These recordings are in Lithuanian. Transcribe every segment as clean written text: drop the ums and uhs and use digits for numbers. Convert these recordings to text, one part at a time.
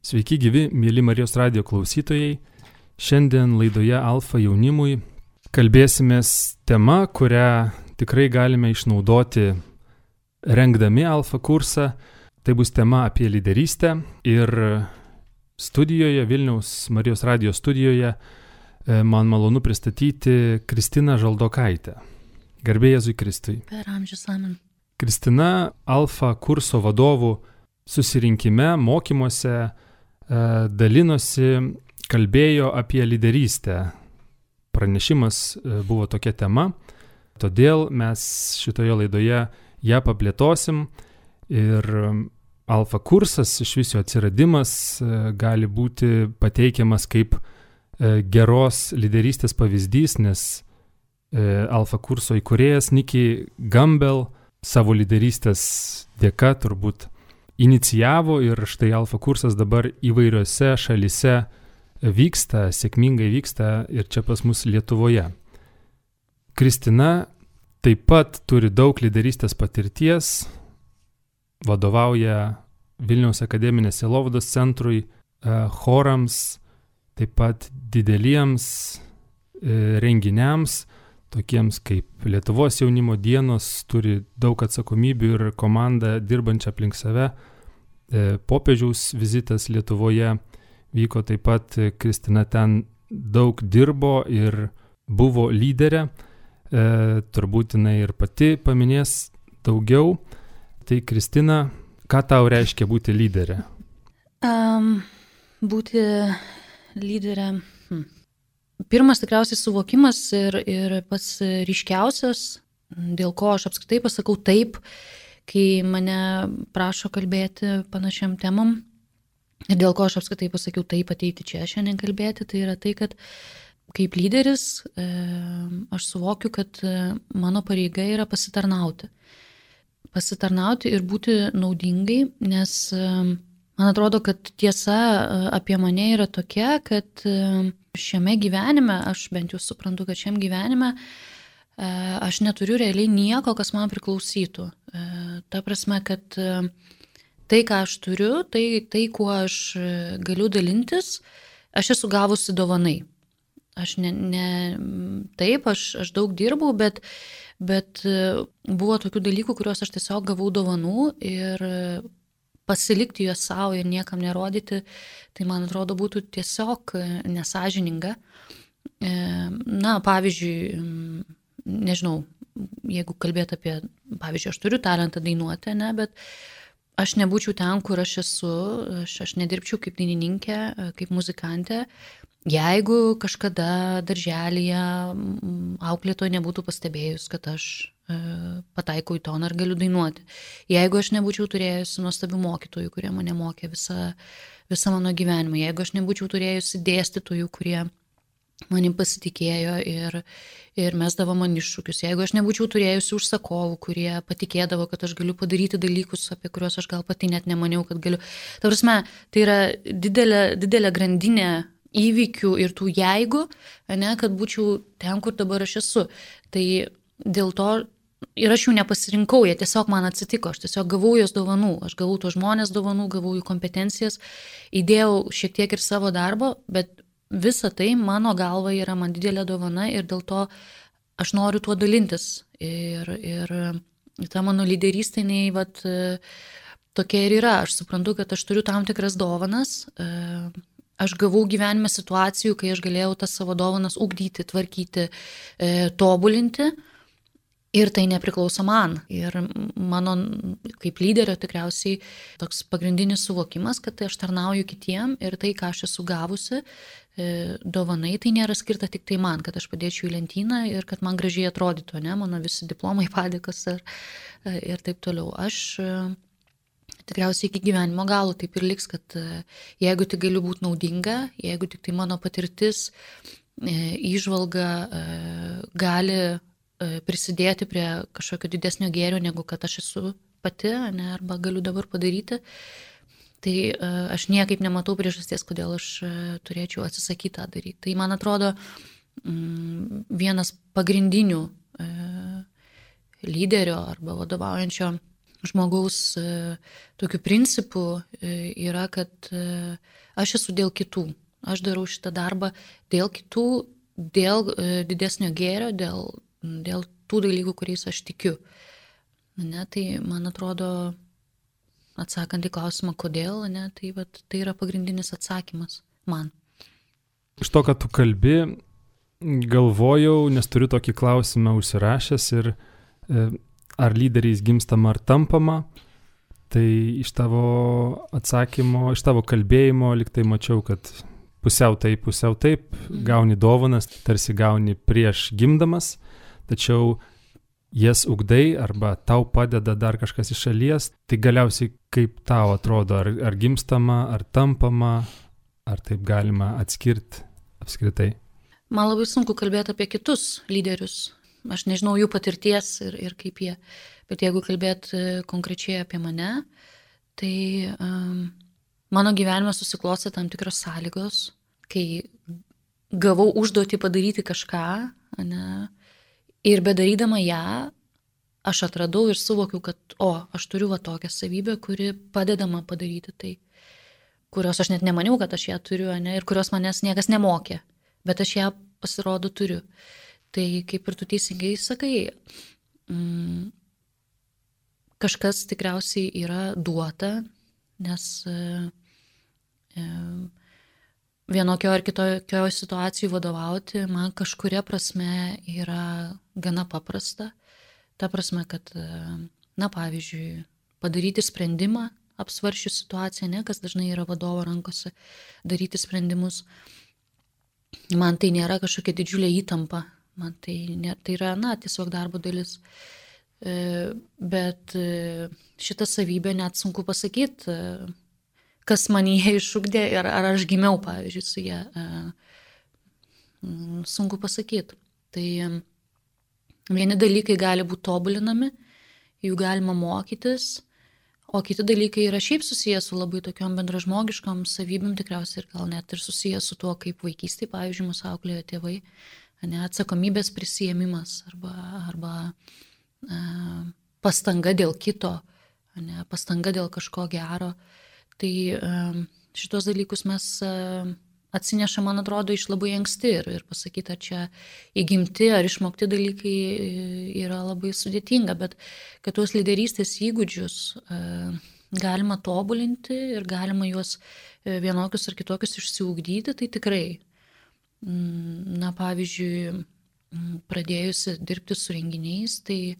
Sveiki gyvi, mėly Marijos radijo klausytojai. Šiandien laidoje Alfa jaunimui kalbėsimės tema, kurią tikrai galime išnaudoti rengdami Alfa kursą. Tai bus tema apie lyderystę ir studijoje, Vilniaus Marijos radijo studijoje, man malonu pristatyti Kristiną Žaldokaitę. Garbė Jėzui Kristui. Per amžius amen. Kristina Alfa kurso vadovų susirinkime, mokymuose dalinosi, kalbėjo apie lyderystę. Pranešimas buvo tokia tema, todėl mes šitoje laidoje ją paplėtosim ir Alfa kursas iš viso atsiradimas gali būti pateikiamas kaip geros lyderystės pavyzdys, nes Alfa kurso įkūrėjas Nicky Gumbel savo lyderystės dėka turbūt inicijavo ir štai Alfa kursas dabar įvairiose šalyse vyksta, sėkmingai vyksta ir čia pas mus Lietuvoje. Kristina taip pat turi daug lyderystės patirties, vadovauja Vilniaus akademinės sielovados centrui, chorams, taip pat dideliems renginiams, tokiems kaip Lietuvos jaunimo dienos, turi daug atsakomybių ir komandą dirbančią aplink save. Popiežiaus vizitas Lietuvoje vyko taip pat, Kristina ten daug dirbo ir buvo lyderė. Turbūt jinai ir pati paminės daugiau. Tai Kristina, ką tau reiškia būti lyderė? Būti lyderė. Pirmas tikriausiai suvokimas ir pats ryškiausias, dėl ko aš apskritai pasakau taip, kai mane prašo kalbėti panašiam temam ir dėl ko aš apskritai pasakiau taip ateiti čia šiandien kalbėti, tai yra tai, kad kaip lyderis aš suvokiu, kad mano pareiga yra pasitarnauti. Pasitarnauti ir būti naudingai, nes man atrodo, kad tiesa apie mane yra tokia, kad šiame gyvenime, aš bent jau suprantu, kad šiame gyvenime aš neturiu realiai nieko, kas man priklausytų. Ta prasme, kad tai, ką aš turiu, tai kuo aš galiu dalintis, aš esu gavusi dovanai. Aš taip, aš daug dirbau, bet buvo tokių dalykų, kuriuos aš tiesiog gavau dovanų ir pasilikti juos savo ir niekam nerodyti, tai man atrodo būtų tiesiog nesąžininga. Pavyzdžiui, nežinau, jeigu kalbėti apie, pavyzdžiui, aš turiu talentą dainuoti, bet aš nebūčiau ten, kur aš esu, aš nedirbčiau kaip dainininkė, kaip muzikantė, jeigu kažkada darželyje auklėtoja nebūtų pastebėjus, kad aš pataikau į toną ir galiu dainuoti. Jeigu aš nebūčiau turėjusi nuostabių mokytojų, kurie mane mokė visą mano gyvenimą, jeigu aš nebūčiau turėjusi dėstytojų, kurie manim pasitikėjo ir mesdavo man iššūkius, jeigu aš nebūčiau turėjusi užsakovų, kurie patikėdavo, kad aš galiu padaryti dalykus, apie kuriuos aš gal pati net nemaniau, kad galiu. Ta prasme, tai yra didelė grandinė įvykių ir tų jeigu, kad būčiau ten, kur dabar aš esu. Tai dėl to ir aš jų nepasirinkau, jie tiesiog man atsitiko, aš tiesiog gavau jos dovanų, aš gavau tos žmonės dovanų, gavau jų kompetencijas, įdėjau šiek tiek ir savo darbo, bet visa tai mano galva yra man didelė dovana ir dėl to aš noriu tuo dalintis. Ir ta mano lyderystė, tokia ir yra. Aš suprantu, kad aš turiu tam tikras dovanas. Aš gavau gyvenime situacijų, kai aš galėjau tas savo dovanas ugdyti, tvarkyti, tobulinti. Ir tai nepriklauso man. Ir mano kaip lyderio tikriausiai toks pagrindinis suvokimas, kad aš tarnauju kitiem ir tai, ką aš esu gavusi, dovanai, tai nėra skirta tik tai man, kad aš padėčiau į lentyną ir kad man gražiai atrodytų, mano visi diplomai, padėkos ir taip toliau. Aš tikriausiai iki gyvenimo galo taip ir liks, kad jeigu tik galiu būti naudinga, jeigu tik tai mano patirtis, įžvalga gali prisidėti prie kažkokio didesnio gėrio, negu kad aš esu pati, arba galiu dabar padaryti, tai aš niekaip nematau priežasties, kodėl aš turėčiau atsisakyti tą daryti. Tai man atrodo vienas pagrindinių lyderio arba vadovaujančio žmogaus tokiu principu yra, kad aš esu dėl kitų. Aš darau šitą darbą dėl kitų, dėl didesnio gėrio, dėl tų dalykų, kuriais aš tikiu. Ne, tai man atrodo, atsakant į klausimą, kodėl, ne, tai yra pagrindinis atsakymas man. Iš to, kad tu kalbi, galvojau, nes turiu tokį klausimą užsirašęs ir ar lyderiais gimstama ar tampama, tai iš tavo atsakymo, iš tavo kalbėjimo liktai mačiau, kad pusiau taip, gauni dovanas, tarsi gauni prieš gimdamas, tačiau jas ugdai arba tau padeda dar kažkas iš šalies, tai galiausiai kaip tau atrodo, ar gimstama, ar tampama, ar taip galima atskirti apskritai? Man labai sunku kalbėti apie kitus lyderius. Aš nežinau jų patirties ir kaip jie. Bet jeigu kalbėti konkrečiai apie mane, tai mano gyvenime susiklostė tam tikros sąlygos, kai gavau užduotį padaryti kažką, ne, ir bedarydama ją, aš atradau ir suvokiau, kad aš turiu tokią savybę, kuri padeda man padaryti tai, kurios aš net nemaniau, kad aš ją turiu, ne, ir kurios manęs niekas nemokė, bet aš ją pasirodo turiu. Tai kaip ir tu teisingai sakai, kažkas tikriausiai yra duota, nes vienokio ar kitokio situacijų vadovauti man kažkuria prasme yra gana paprasta. Ta prasme, kad, pavyzdžiui, padaryti sprendimą, apsvarsčius situaciją, ne, kas dažnai yra vadovo rankose, daryti sprendimus. Man tai nėra kažkokia didžiulė įtampa, man tai yra, tiesiog darbo dalis. Bet šitą savybę net sunku pasakyti, kas man jie išugdė ir ar aš gimiau, pavyzdžiui, su jie. Sunku pasakyti. Tai vieni dalykai gali būti tobulinami, jų galima mokytis, o kiti dalykai yra šiaip susijęs su labai tokiom bendražmogiškom savybėm, tikriausiai ir gal net ir susijęs su tuo, kaip vaikystėje, pavyzdžiui, mus auklėjo tėvai, ne, atsakomybės prisijėmimas arba pastanga dėl kito, ne, pastanga dėl kažko gero. Tai šitos dalykus mes atsineša, man atrodo, iš labai anksti ir pasakyti, ar čia įgimti ar išmokti dalykai yra labai sudėtinga, bet kad tuos lyderystės įgūdžius galima tobulinti ir galima juos vienokius ar kitokius išsiugdyti, tai tikrai. Pavyzdžiui, pradėjusi dirbti su renginiais, tai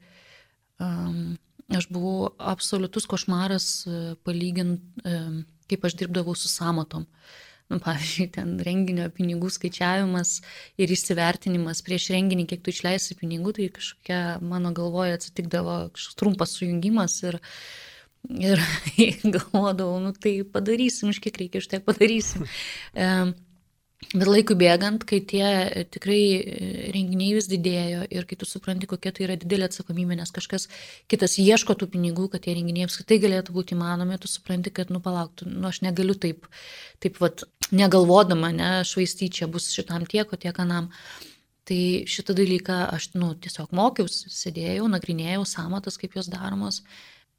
aš buvau absoliutus košmaras palygint, kaip aš dirbdavau su sąmatom. Pavyzdžiui, ten renginio pinigų skaičiavimas ir įsivertinimas prieš renginį, kiek tu išleisi pinigų, tai kažkokia mano galvoje atsitikdavo kažkoks trumpas sujungimas ir galvodavau, tai padarysim, iš kiek reikia, iš tiek padarysim. Bet laikui bėgant, kai tie tikrai renginiai vis didėjo ir kai tu supranti, kokia tai yra didelė atsakomybė, nes kažkas kitas ieško tų pinigų, kad tie renginiai apskritai galėtų būti įmanomi, tu supranti, kad palauk, aš negaliu taip negalvodama, švaistyti, čia bus šitam tiek, o tiek anam. Tai šitą dalyką aš tiesiog mokiausi, sėdėjau, nagrinėjau sąmatas, kaip jos daromos.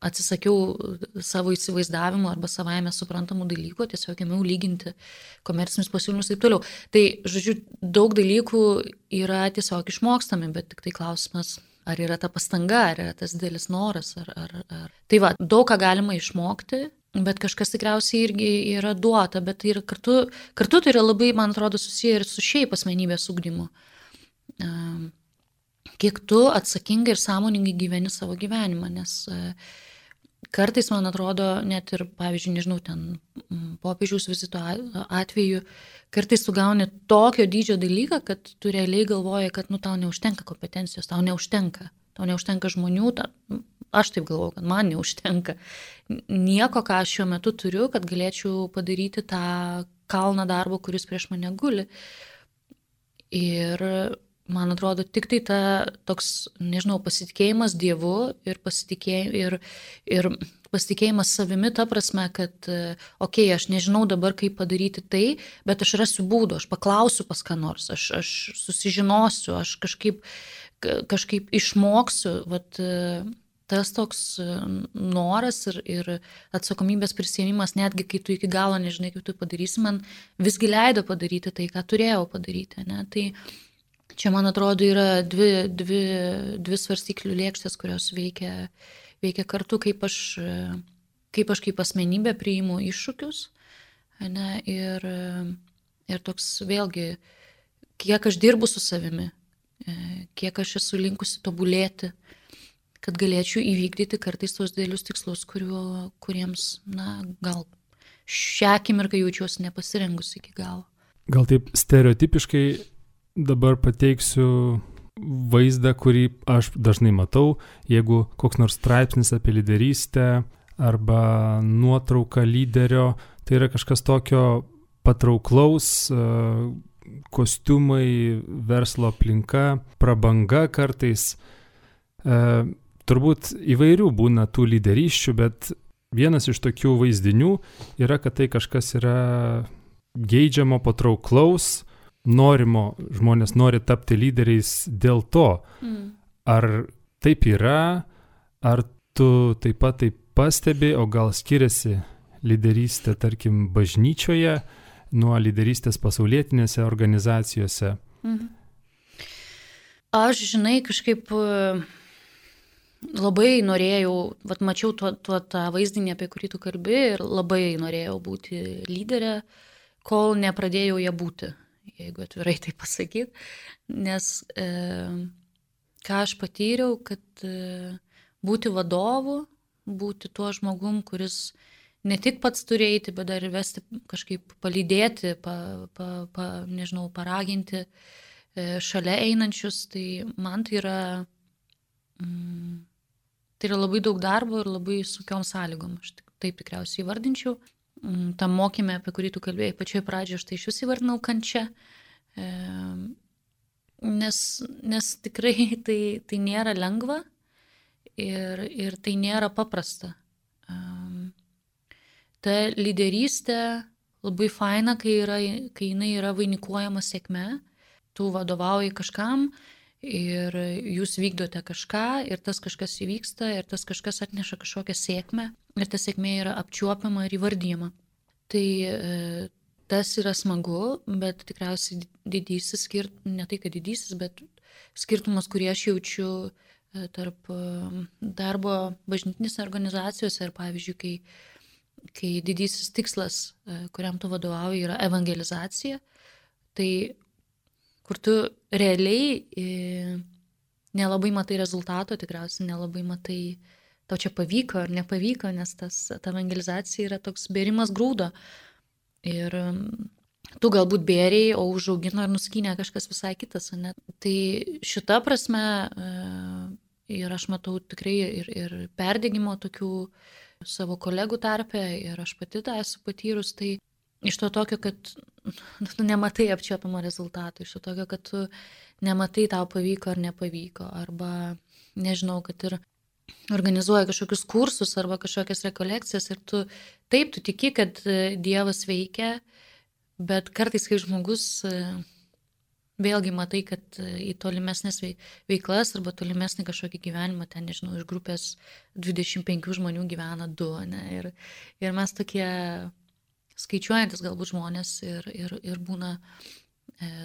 Atsisakiau savo įsivaizdavimo arba savaime suprantamų dalykų, tiesiog ėmiau lyginti komercinius pasiūlymus ir taip toliau. Tai, žodžiu, daug dalykų yra tiesiog išmokstami, bet tik tai klausimas, ar yra ta pastanga, ar yra tas didelis noras. Tai daug ką galima išmokti, bet kažkas tikriausiai irgi yra duota, bet tai yra kartu tai yra labai, man atrodo, susiję ir su šiaip asmenybės ugdymu. Kiek tu atsakingai ir sąmoningai gyveni savo gyvenimą, nes kartais, man atrodo, net ir, pavyzdžiui, nežinau, ten popiežiaus vizito atveju, kartais tu gauni tokio dydžio dalyką, kad tu realiai galvoji, kad tau neužtenka kompetencijos, tau neužtenka žmonių, aš taip galvoju, kad man neužtenka nieko, ką aš šiuo metu turiu, kad galėčiau padaryti tą kalną darbo, kuris prieš mane guli. Ir man atrodo, tik tai toks, nežinau, pasitikėjimas Dievu ir pasitikėjimas savimi, ta prasme, kad, aš nežinau dabar, kaip padaryti tai, bet aš rasiu būdų, aš paklausiu pas ką nors, aš susižinosiu, aš kažkaip išmoksiu, tas toks noras ir atsakomybės prisėmimas, netgi kai tu iki galo nežinai, kaip tu padarysi, man visgi leido padaryti tai, ką turėjau padaryti. Ne? Tai čia, man atrodo, yra dvi svarstyklių lėkštės, kurios veikia kartu, kaip aš kaip asmenybė priimu iššūkius. Ne? Ir toks vėlgi, kiek aš dirbu su savimi, kiek aš esu linkusi tobulėti, kad galėčiau įvykdyti kartais tos didelius tikslus, kuriems, gal šią akimirką jaučiuosi nepasirengus iki galo. Gal taip stereotipiškai dabar pateiksiu vaizdą, kurį aš dažnai matau, jeigu koks nors straipsnis apie lyderystę arba nuotrauka lyderio, tai yra kažkas tokio patrauklaus, kostiumai, verslo aplinka, prabanga kartais. Turbūt įvairių būna tų lyderysčių, bet vienas iš tokių vaizdinių yra, kad tai kažkas yra geidžiamo, patrauklaus, norimo, žmonės nori tapti lyderiais dėl to. Ar taip yra, ar tu taip pat taip pastebi, o gal skiriasi lyderystė, tarkim, bažnyčioje nuo lyderystės pasaulietinėse organizacijose? Aš, žinai, kažkaip labai norėjau, mačiau tą vaizdinį, apie kurį tu kalbi, ir labai norėjau būti lyderė, kol nepradėjau ją būti, jeigu atvirai tai pasakyti. Nes ką aš patyriau, kad būti vadovu, būti tuo žmogum, kuris ne tik pats turi eiti, bet dar ir vesti, kažkaip palydėti, nežinau, paraginti šalia einančius, tai man tai yra labai daug darbo ir labai sunkiom sąlygom. Aš taip tikriausiai įvardinčiau. Tam mokyme, apie kurį tu kalbėjai, pačioje pradžioje, aš tai iš vis įvardinau kančia. Nes tikrai tai nėra lengva ir tai nėra paprasta. Ta lyderystė labai faina, kai jinai yra vainikuojama sėkme. Tu vadovauji kažkam ir jūs vykdote kažką ir tas kažkas įvyksta ir tas kažkas atneša kažkokią sėkmę ir ta sėkmė yra apčiuopiama ir įvardyjama. Tai tas yra smagu, bet tikriausiai didysis, ne tai kad didysis, bet skirtumas, kurį aš jaučiu tarp darbo bažnytinėse organizacijose ir pavyzdžiui, kai didysis tikslas, kuriam tu vadovauji, yra evangelizacija, tai kur tu realiai nelabai matai rezultato, tikriausiai nelabai matai, tau čia pavyko ar nepavyko, nes ta evangelizacija yra toks bėrimas grūdo. Ir tu galbūt bėriai, o užaugino ir nuskynė kažkas visai kitas. Ne? Tai šita prasme, ir aš matau tikrai ir perdegimo tokių savo kolegų tarpe, ir aš pati tą esu patyrus, tai iš to tokio, kad tu nematai apčiuopiamo rezultato, iš to tokio, kad tu nematai tau pavyko ar nepavyko, arba nežinau, kad ir organizuoja kažkokius kursus arba kažkokias rekolekcijas ir tu tiki, kad Dievas veikia, bet kartais, kai žmogus vėlgi matai, kad į tolimesnės veiklas arba tolimesnį kažkokį gyvenimą, ten, nežinau, iš grupės 25 žmonių gyvena 2, ne? Ir mes tokie skaičiuojantis galbūt žmonės ir būna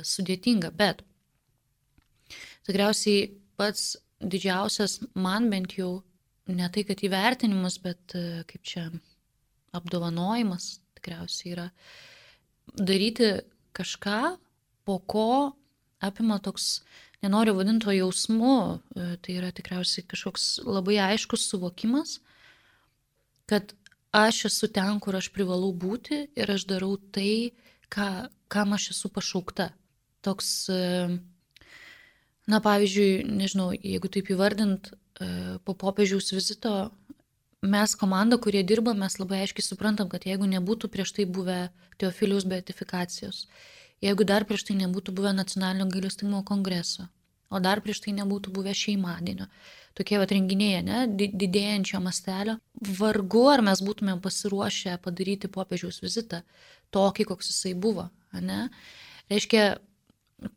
sudėtinga, bet tikriausiai pats didžiausias man bent jau ne tai, kad įvertinimas, bet kaip čia apdovanojimas tikriausiai yra daryti kažką, po ko apima toks, nenoriu vadinti to jausmu, tai yra tikriausiai kažkoks labai aiškus suvokimas, kad aš esu ten, kur aš privalau būti ir aš darau tai, kam aš esu pašaukta. Toks, pavyzdžiui, nežinau, jeigu taip įvardint, po popiežiaus vizito mes komanda, kurie dirba, mes labai aiškiai suprantam, kad jeigu nebūtų prieš tai buvę Teofiliaus beatifikacijos, jeigu dar prieš tai nebūtų buvę nacionalinio gailestingumo kongreso, o dar prieš tai nebūtų buvę šeimadienio, tokie renginiai, ne, didėjančio mastelio, vargu ar mes būtumėm pasiruošę padaryti popiežiaus vizitą tokį, koks jisai buvo. Ne? Reiškia,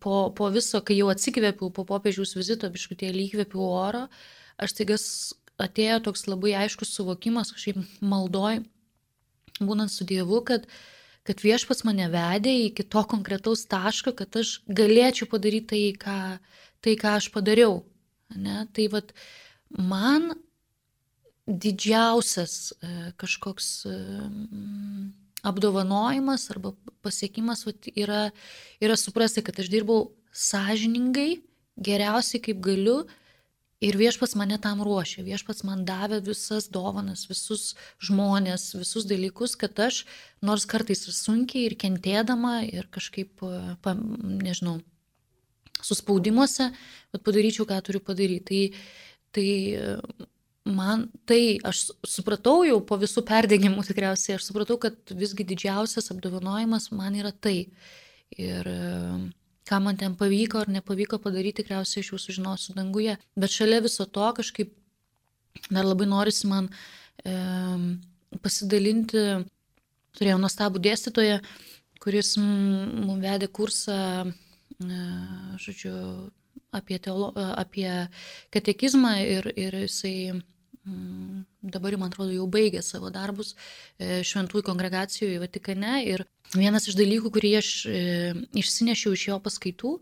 po viso, kai jau atsikvėpiau po popiežiaus vizito, biškutėlį įkvėpiau oro, aš taiga atėjo toks labai aiškus suvokimas, kažkaip maldoj, būnant su Dievu, kad Viešpats mane vedė iki to konkretaus taško, kad aš galėčiau padaryti tai, ką aš padariau. Ne? Tai vat, man didžiausias kažkoks apdovanojimas arba pasiekimas vat, yra suprasti, kad aš dirbau sąžiningai, geriausiai kaip galiu, ir Viešpats mane tam ruošė. Viešpats man davė visas dovanas, visus žmonės, visus dalykus, kad aš, nors kartais ir sunkiai, ir kentėdama, ir kažkaip, nežinau, suspaudimuose, bet padaryčiau, ką turiu padaryti. Tai aš supratau jau po visų perdegimų tikriausiai, aš supratau, kad visgi didžiausias apdovanojimas man yra tai. Ir ką man ten pavyko ar nepavyko padaryti, tikriausiai aš jau sužinosiu danguje. Bet šalia viso to kažkaip dar labai norisi man pasidalinti. Turėjau nuostabų dėstytoją, kuris mums vedė kursą, žodžiu, apie katekizmą ir jisai dabar, man atrodo, jau baigė savo darbus šventųjų kongregacijų Vatikane. Ir vienas iš dalykų, kurį aš išsinešiau iš jo paskaitų,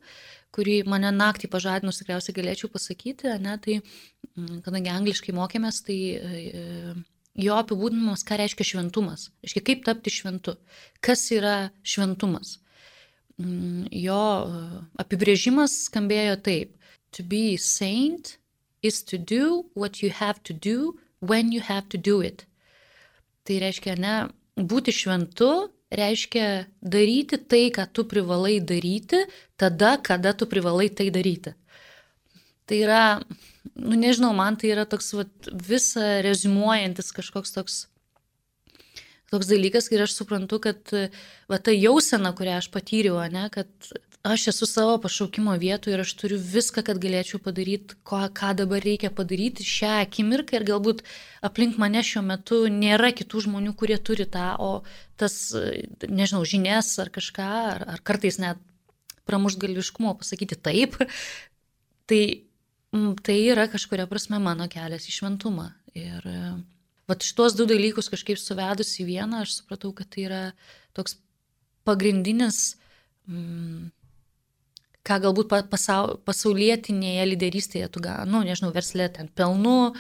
kurį mane naktį pažadinus tikriausiai galėčiau pasakyti, ne, tai kadangi angliškai mokėmės, tai jo apibūdinimas, ką reiškia šventumas. Reiškia, kaip tapti šventu. Kas yra šventumas? Jo apibrėžimas skambėjo taip. To be saint is to do what you have to do when you have to do it. Tai reiškia, ne, būti šventu reiškia daryti tai, ką tu privalai daryti, tada, kada tu privalai tai daryti. Tai yra, nežinau, man tai yra toks visą reziumuojantis kažkoks toks dalykas, ir aš suprantu, kad ta jausena, kurią aš patyriau, ne, kad aš esu savo pašaukimo vietoje ir aš turiu viską, kad galėčiau padaryti, ką dabar reikia padaryti šią akimirką, ir galbūt aplink mane šiuo metu nėra kitų žmonių, kurie turi tą, o tas, nežinau, žinias ar kažką, ar kartais net pramuštgalviškumo pasakyti taip, tai yra kažkuria prasme mano kelias į šventumą. Ir šitos du dalykus kažkaip suvedus į vieną, aš supratau, kad tai yra toks pagrindinis, ką galbūt pasaulietinėje lyderystėje tu nežinau, verslė ten pelnu,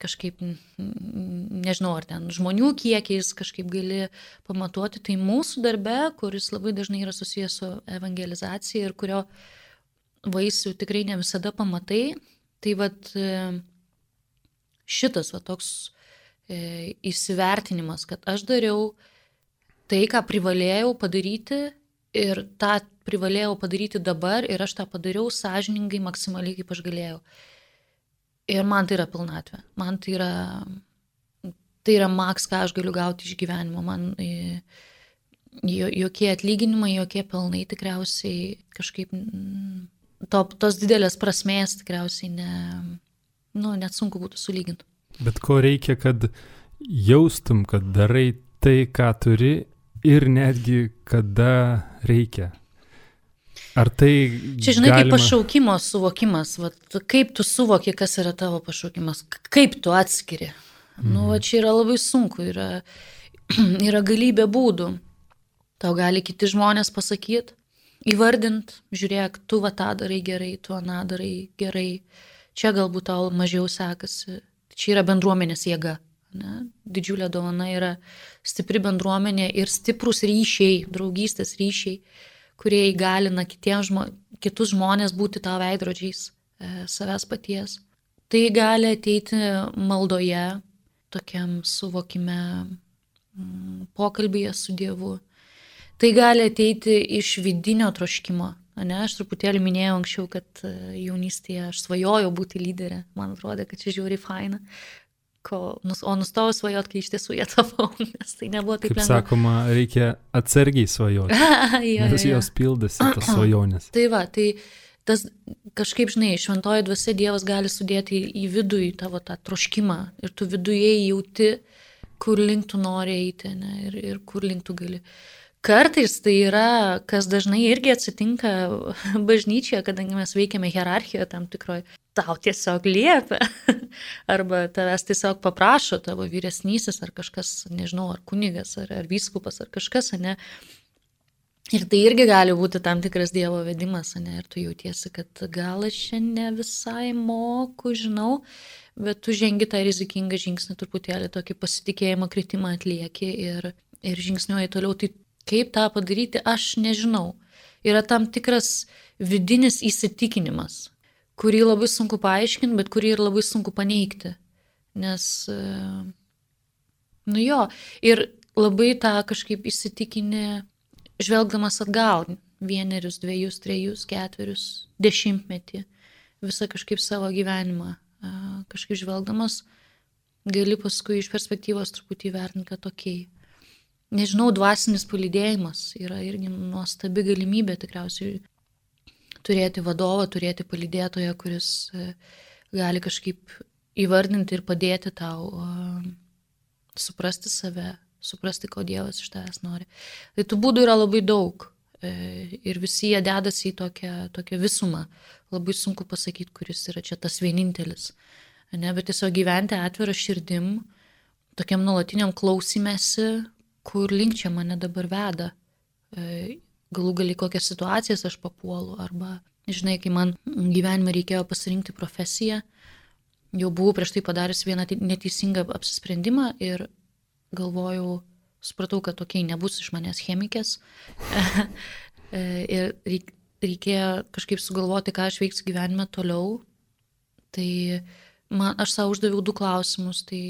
kažkaip, nežinau, ar ten žmonių kiekiais kažkaip gali pamatuoti. Tai mūsų darbe, kuris labai dažnai yra susijęs su evangelizacija ir kurio vaisių tikrai ne visada pamatai, tai šitas toks įsivertinimas, kad aš dariau tai, ką privalėjau padaryti, ir tą privalėjau padaryti dabar, ir aš tą padariau sąžiningai, maksimaliai, kaip aš galėjau. Ir man tai yra pilnatvė. Man tai yra maks, ką aš galiu gauti iš gyvenimo. Man jokie atlyginimai, jokie pelnai tikriausiai kažkaip tos didelės prasmės tikriausiai net sunku būtų sulyginti. Bet ko reikia, kad jaustum, kad darai tai, ką turi, ir netgi kada reikia? Ar tai čia, žinai, kaip pašaukimo suvokimas, kaip tu suvoki, kas yra tavo pašaukimas, kaip tu atskiri. Čia yra labai sunku, yra galybė būdų. Tau gali kiti žmonės pasakyti, įvardint, žiūrėk, tu tą darai gerai, tu aną darai gerai, čia galbūt tau mažiau sekasi. Čia yra bendruomenės jėga. Ne? Didžiulė dovana yra stipri bendruomenė ir stiprus ryšiai, draugystės ryšiai, kurie įgalina kitus žmonės būti tavo veidrodžiais savęs paties. Tai gali ateiti maldoje, tokiam suvokime, pokalbyje su Dievu. Tai gali ateiti iš vidinio troškimo. Aš truputėlį minėjau anksčiau, kad jaunystėje aš svajojau būti lyderė. Man atrodo, kad čia žiauriai faina. O nustojau svajoti, kai iš tiesų jie tapau, nes tai nebuvo taip lengva. Kaip sakoma, reikia atsargiai svajoti, nes jos pildasi tos svajonės. Tai tas kažkaip, žinai, šventoji dvasia Dievas gali sudėti į vidų į tavo tą troškimą, ir tu viduje jauti, kur link tu nori eiti, ne, ir kur link tu gali. Kartais tai yra, kas dažnai irgi atsitinka bažnyčioje, kadangi mes veikiame hierarchijoje tam tikroje. tau tiesiog liepia, arba tavęs tiesiog paprašo tavo vyresnysis, ar kažkas, nežinau, ar kunigas, ar vyskupas, ar kažkas, ne. Ir tai irgi gali būti tam tikras Dievo vedimas, ne, ir tu jautiesi, kad gal aš šiandien visai moku, žinau, bet tu žengi tą rizikingą žingsnį, truputėlį tokį pasitikėjimo kritimą atlieki ir žingsniuoji toliau. Tai kaip tą padaryti, aš nežinau. Yra tam tikras vidinis įsitikinimas, kurį labai sunku paaiškinti, bet kurį ir labai sunku paneigti. Nes, nu jo, ir labai tą kažkaip įsitikinę, žvelgdamas atgal, 1, 2, 3, 4, 10, visą kažkaip savo gyvenimą, kažkaip žvelgdamas, gali paskui iš perspektyvos truputį vertinti, kad tokiai. Nežinau, dvasinis palydėjimas yra irgi nuostabi galimybė tikriausiai turėti vadovą, turėti palydėtoją, kuris gali kažkaip įvardinti ir padėti tau suprasti save, suprasti, ko Dievas iš tavęs nori. Tai tų būdų yra labai daug ir visi jie dedasi į tokią visumą. Labai sunku pasakyti, kuris yra čia tas vienintelis. Ne, bet tiesiog gyventi atvirą širdim, tokiam nuolatiniam klausimėsi, kur link čia mane dabar veda. Galų gali kokias situacijas aš papuolu, arba, žinai, kai man gyvenime reikėjo pasirinkti profesiją, jau buvau prieš tai padaręs vieną neteisingą apsisprendimą ir galvojau, supratau, kad tokiai nebus iš manęs chemikės. Ir reikėjo kažkaip sugalvoti, ką aš veiksiu gyvenime toliau. Tai aš savo uždaviau 2 klausimus. Tai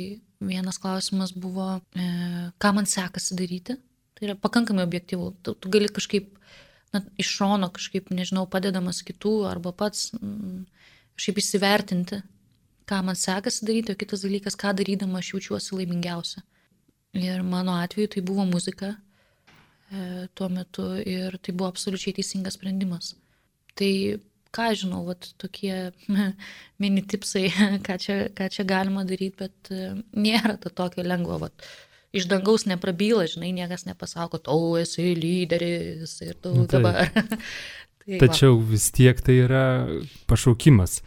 vienas klausimas buvo, ką man sekasi daryti. Tai yra pakankamai objektyvu. Tu gali kažkaip iš šono, kažkaip, nežinau, padedamas kitų arba pats kažkaip įsivertinti, ką man sekasi daryti, o kitas dalykas, ką darydama aš jaučiuosi laimingiausia. Ir mano atveju tai buvo muzika tuo metu ir tai buvo absoliučiai teisingas sprendimas. Tai ką žinau, tokie mini tipsai, ką čia galima daryti, bet nėra to tokio lengvo. Iš dangaus neprabyla, žinai, niekas nepasako, tu esi lyderis ir tu dabar. Tačiau vis tiek tai yra pašaukimas.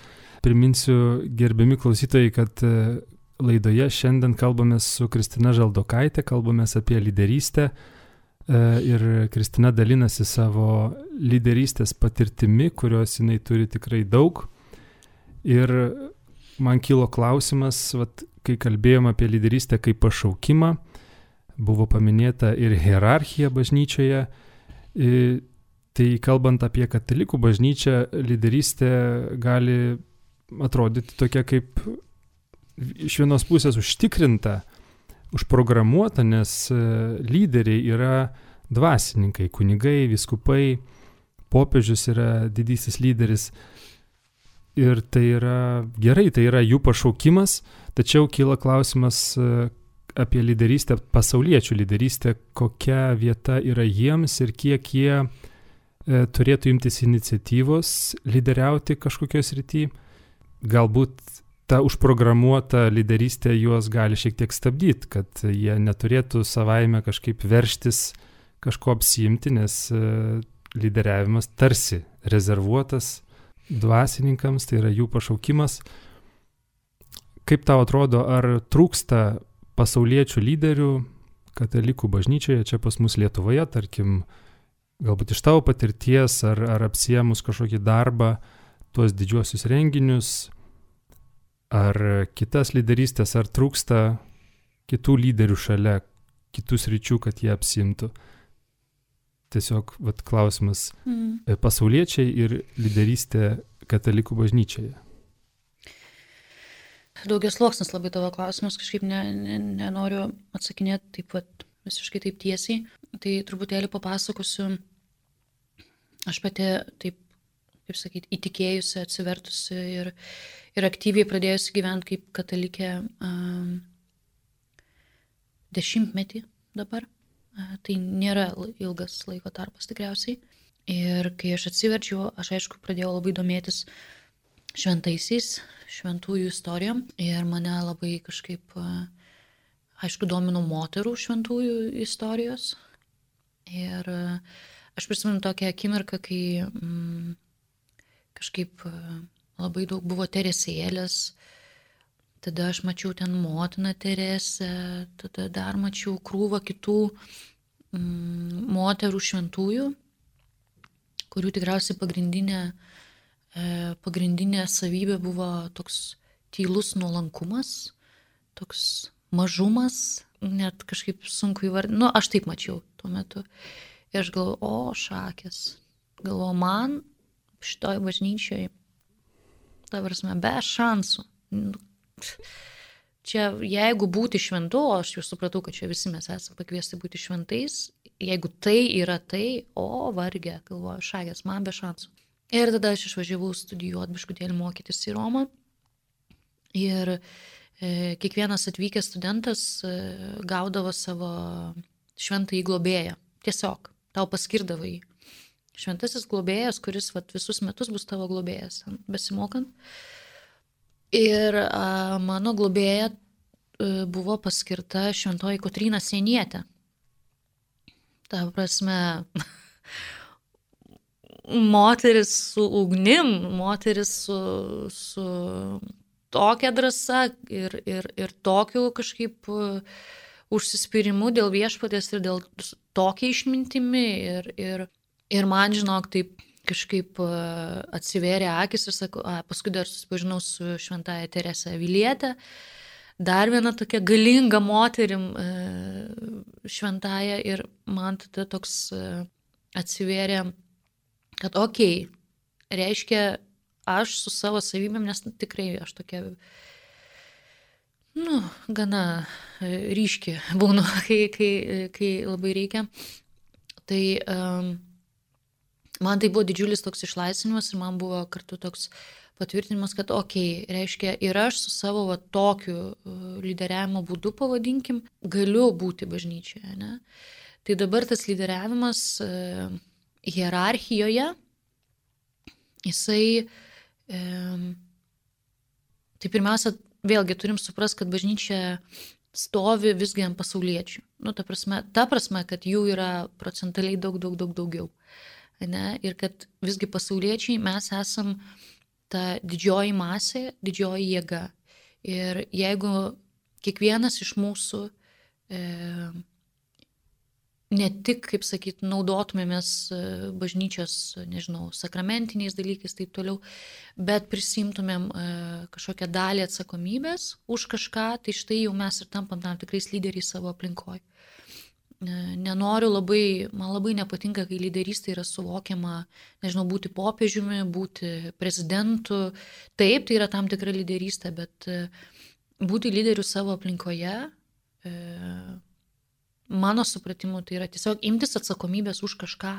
Priminsiu, gerbiami klausytojai, kad laidoje šiandien kalbamės su Kristina Žaldokaitė, kalbamės apie lyderystę ir Kristina dalinasi savo lyderystės patirtimi, kurios jinai turi tikrai daug. Ir man kilo klausimas, kai kalbėjom apie lyderystę kaip pašaukimą, buvo paminėta ir hierarchija bažnyčioje. Tai kalbant apie katalikų bažnyčią, lyderystė gali atrodyti tokia kaip iš vienos pusės užtikrinta, užprogramuota, nes lyderiai yra dvasininkai, kunigai, vyskupai, popiežius yra didysis lyderis. Ir tai yra gerai, tai yra jų pašaukimas, tačiau kyla klausimas apie lyderystę, pasauliečių lyderystę, kokia vieta yra jiems ir kiek jie turėtų imtis iniciatyvos lyderiauti kažkokioj srity. Galbūt ta užprogramuota lyderystė juos gali šiek tiek stabdyti, kad jie neturėtų savaime kažkaip verštis kažko apsiimti, nes lyderiavimas tarsi rezervuotas dvasininkams, tai yra jų pašaukimas. Kaip tau atrodo, ar trūksta pasauliečių lyderių katalikų bažnyčioje, čia pas mus Lietuvoje, tarkim, galbūt iš tavo patirties, ar apsiėmus kažkokį darbą, tuos didžiuosius renginius, ar kitas lyderystės, ar trūksta kitų lyderių šalia, kitų sričių, kad jie apsiimtų. Tiesiog klausimas pasauliečiai ir lyderystė katalikų bažnyčioje. Daugiasluoksnis labai tavo klausimas, kažkaip nenoriu atsakinėti taip visiškai taip tiesiai. Tai truputėlį papasakosiu, aš pati taip, kaip sakyti, įtikėjusi, atsivertusi ir aktyviai pradėjusi gyventi kaip katalikė 10 dabar. Tai nėra ilgas laiko tarpas tikriausiai. Ir kai aš atsiverčiau, aš aišku pradėjau labai domėtis šventaisiais, šventųjų istorijom. Ir mane labai kažkaip, aišku, domino moterų šventųjų istorijos. Ir aš prisimenu tokią akimirką, kai kažkaip labai daug buvo Teresėlės, tada aš mačiau ten motiną Teresę, tada dar mačiau krūvą kitų moterų šventųjų, kurių tikriausiai pagrindinė savybė buvo toks tylus nuolankumas, toks mažumas, net kažkaip sunku įvardinti. Aš taip mačiau tuo metu. Ir aš galvoju, šakės. Galvoju, man šitoj bažnyčioj, ta prasme, be šansų. Čia, jeigu būti šventu, aš jau supratau, kad čia visi mes esame pakviesti būti šventais, jeigu tai yra tai, vargė, galvoju, šakės, man be šansų. Ir tada aš išvažiavau studijuoti, biškutėlį mokytis į Romą. Ir kiekvienas atvykęs studentas gaudavo savo šventąjį globėją. Tiesiog, tau paskirdavo jį. Šventasis globėjas, kuris visus metus bus tavo globėjas, besimokant. Ir mano globėja buvo paskirta šventoji Kotryna Sienietė. Ta prasme, moteris su ugnim, moteris su tokia drąsa ir tokiu kažkaip užsispyrimu dėl viešpaties ir dėl tokia išmintimi. Ir man, žinok, taip kažkaip atsivėrė akis ir sakau, paskui dar susipažinau su šventąja Terese Aviliete, dar viena tokia galinga moterim šventąja, ir man tada toks atsivėrė, kad reiškia, aš su savo savybėm, nes tikrai aš tokia, gana ryški būnu, kai labai reikia. Tai man tai buvo didžiulis toks išlaisvinimas ir man buvo kartu toks patvirtinimas, kad reiškia, ir aš su savo tokiu lyderiavimo būdu, pavadinkim, galiu būti bažnyčioje. Ne? Tai dabar tas lyderiavimas hierarchijoje, jisai, tai pirmiausia, vėlgi turim suprasti, kad bažnyčia stovi visgi ant pasauliečių. Ta prasme, kad jų yra procentaliai daug daugiau. Ne? Ir kad visgi pasauliečiai mes esam ta didžioji masė, didžioji jėga. Ir jeigu kiekvienas iš mūsų ne tik, kaip sakyt, naudotumėmės bažnyčios, sakramentiniais dalykais, taip toliau, bet prisimtumėm kažkokią dalį atsakomybės už kažką, tai štai jau mes ir tampam tam tikrais lyderiais savo aplinkoje. Man labai nepatinka, kai lyderystė yra suvokiama, būti popiežiumi, būti prezidentu. Taip, tai yra tam tikra lyderystė, bet būti lyderiu savo aplinkoje, mano supratimu, tai yra tiesiog imtis atsakomybės už kažką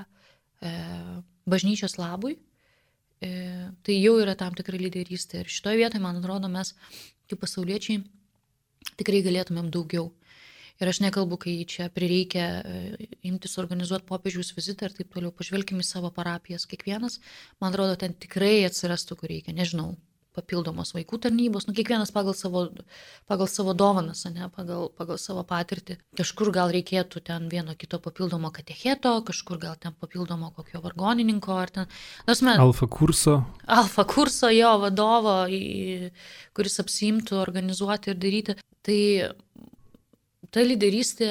bažnyčios labui. Tai jau yra tam tikra lyderystė. Ir šitoje vietoje, man atrodo, mes kaip pasauliečiai tikrai galėtumėm daugiau. Ir aš nekalbu, kai čia prireikia imtis organizuoti popiežiaus vizitą ir taip toliau. Pažvelkime į savo parapijas kiekvienas. Man atrodo, ten tikrai atsirastų, kur reikia. Papildomos vaikų tarnybos. Kiekvienas pagal savo dovanas, pagal savo patirtį. Kažkur gal reikėtų ten vieno kito papildomo katecheto, kažkur gal ten papildomo kokio vargonininko. Ar ten, Alfa kurso jo vadovo, kuris apsiimtų organizuoti ir daryti. Tai ta lyderystė,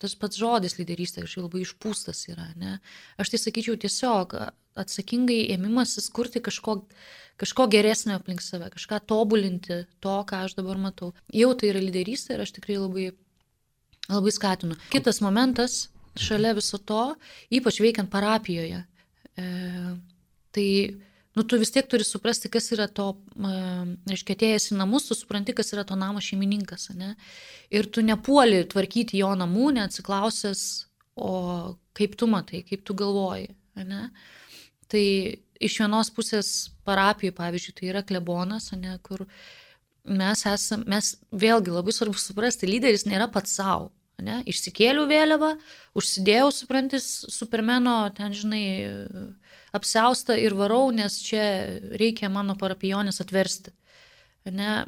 tas pats žodis lyderystė kažkaip labai išpūstas yra. Ne? Aš tai sakyčiau tiesiog atsakingai ėmimasis kurti kažko geresnio aplink save, kažką tobulinti to, ką aš dabar matau. Jau tai yra lyderystė ir aš tikrai labai, labai skatinu. Kitas momentas, šalia viso to, ypač veikiant parapijoje, tai tu vis tiek turi suprasti, kas yra to, reiškia, atėjęs į namus, tu supranti, kas yra to namo šeimininkas, ne? Ir tu nepuoli tvarkyti jo namų, neatsiklausęs, o kaip tu matai, kaip tu galvoji, ne? Tai iš vienos pusės parapijų, pavyzdžiui, tai yra klebonas, ne, kur mes vėlgi labai svarbu suprasti, lyderis nėra pats savo. Ne? Išsikėliau vėliavą, užsidėjau, suprantis, Supermeno, ten, apsiaustą ir varau, nes čia reikia mano parapionės atversti. Ne?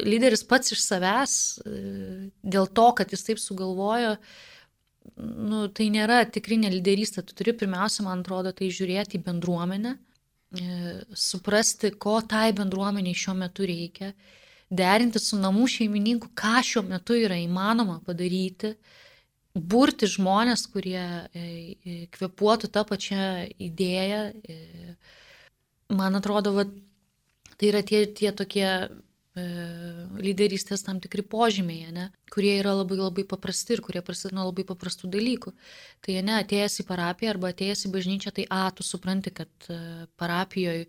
Lyderis pats iš savęs, dėl to, kad jis taip sugalvojo, tai nėra tikrinė lyderystė. Tu turi pirmiausia, man atrodo, tai žiūrėti į bendruomenę, suprasti, ko tai bendruomeniai šiuo metu reikia, derinti su namų šeimininku, ką šiuo metu yra įmanoma padaryti, burti žmonės, kurie kvėpuotų tą pačią idėją. Man atrodo, tai yra tie tokie lyderystės tam tikri požymiai, ne, kurie yra labai labai paprasti ir kurie prasideda nuo labai paprastų dalykų. Tai ne, atėjęs į parapiją arba atėjęs į bažnyčią, tai tu supranti, kad parapijoje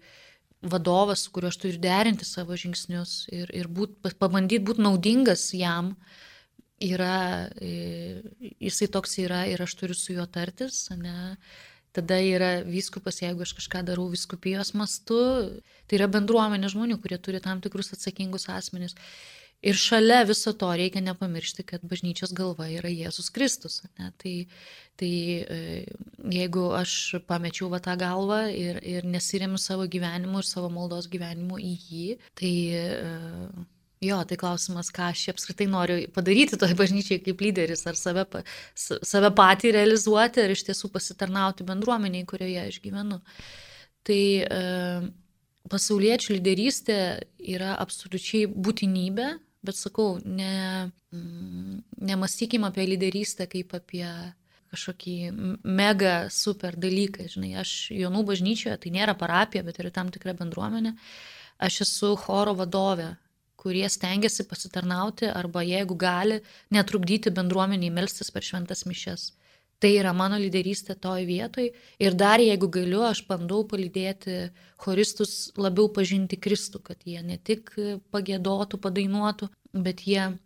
vadovas, su kuriuo aš turiu derinti savo žingsnius ir pabandyti būti naudingas jam, jisai toks yra ir aš turiu su juo tartis, ne. Tada yra vyskupas, jeigu aš kažką darau vyskupijos mastu, tai yra bendruomenė žmonių, kurie turi tam tikrus atsakingus asmenis. Ir šalia viso to reikia nepamiršti, kad bažnyčios galva yra Jėzus Kristus. Ne? Tai jeigu aš pamečiau tą galvą ir nesiremiu savo gyvenimu ir savo maldos gyvenimu į jį, tai tai klausimas, ką aš apskritai noriu padaryti toj bažnyčiai kaip lyderis, ar save patį realizuoti, ar iš tiesų pasitarnauti bendruomeniai, kurioje aš gyvenu. Tai pasauliečių lyderystė yra absoliučiai būtinybė, bet sakau, nemąstykim apie lyderystę kaip apie kažkokį mega super dalyką. Žinai, aš Jonų bažnyčioje, tai nėra parapija, bet yra tam tikra bendruomenė. Aš esu choro vadovė, kurie stengiasi pasitarnauti arba jeigu gali, netrukdyti bendruomeniai melstis per šventas mišias. Tai yra mano lyderystė toj vietoj ir dar jeigu galiu, aš bandau palydėti choristus labiau pažinti Kristų, kad jie ne tik pagiedotų, padainuotų, bet jie